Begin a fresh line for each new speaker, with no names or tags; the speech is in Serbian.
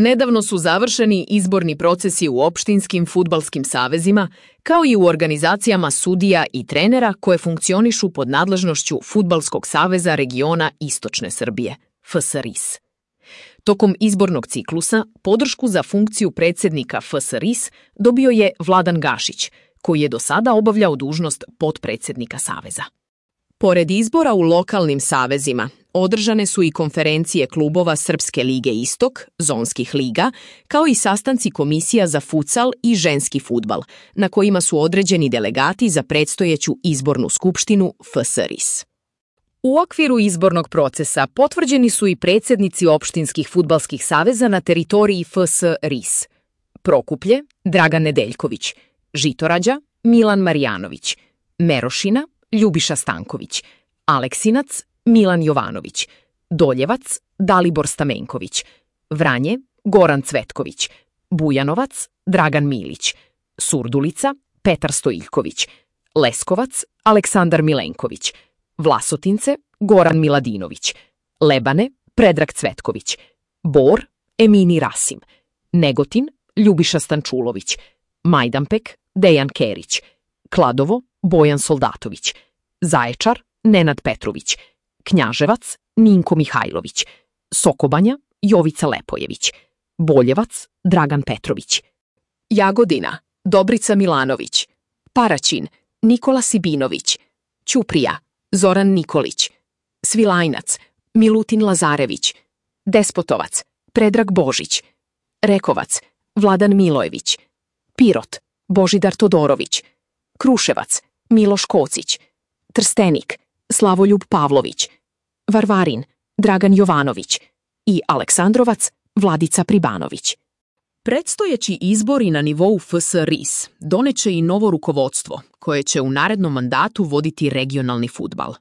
Nedavno su završeni izborni procesi u opštinskim fudbalskim savezima, kao i u organizacijama sudija i trenera koje funkcionišu pod nadležnošću Fudbalskog saveza regiona Istočne Srbije, FSRIS. Tokom izbornog ciklusa podršku za funkciju predsjednika FSRIS dobio je Vladan Gašić, koji je do sada obavljao dužnost potpredsjednika saveza. Pored izbora u lokalnim savezima, održane su i konferencije klubova Srpske lige Istok, zonskih liga, kao i sastanci komisija za futsal i ženski fudbal, na kojima su određeni delegati za predstojeću izbornu skupštinu FSRIS. U okviru izbornog procesa potvrđeni su i predsjednici opštinskih fudbalskih saveza na teritoriji FSRIS. Prokuplje, Dragan Nedeljković, Žitorađa, Milan Marjanović, Merošina, Ljubiša Stanković, Aleksinac, Milan Jovanović, Doljevac, Dalibor Stamenković, Vranje, Goran Cvetković, Bujanovac, Dragan Milić, Surdulica, Petar Stojiljković, Leskovac, Aleksandar Milenković, Vlasotince, Goran Miladinović, Lebane, Predrag Cvetković, Bor, Emini Rasim, Negotin, Ljubiša Stančulović, Majdanpek, Dejan Kerić, Kladovo, Bojan Soldatović, Zaječar, Nenad Petrović, Knjaževac, Ninko Mihajlović, Sokobanja, Jovica Lepojević, Boljevac, Dragan Petrović, Jagodina, Dobrica Milanović, Paraćin, Nikola Sibinović, Ćuprija, Zoran Nikolić, Svilajnac, Milutin Lazarević, Despotovac, Predrag Božić, Rekovac, Vladan Milojević, Pirot, Božidar Todorović, Kruševac, Miloš Kocić, Trstenik, Slavoljub Pavlović, Varvarin, Dragan Jovanović i Aleksandrovac, Vladica Pribanović. Predstojeći izbori na nivou FSRIS doneće i novo rukovodstvo koje će u narednom mandatu voditi regionalni fudbal.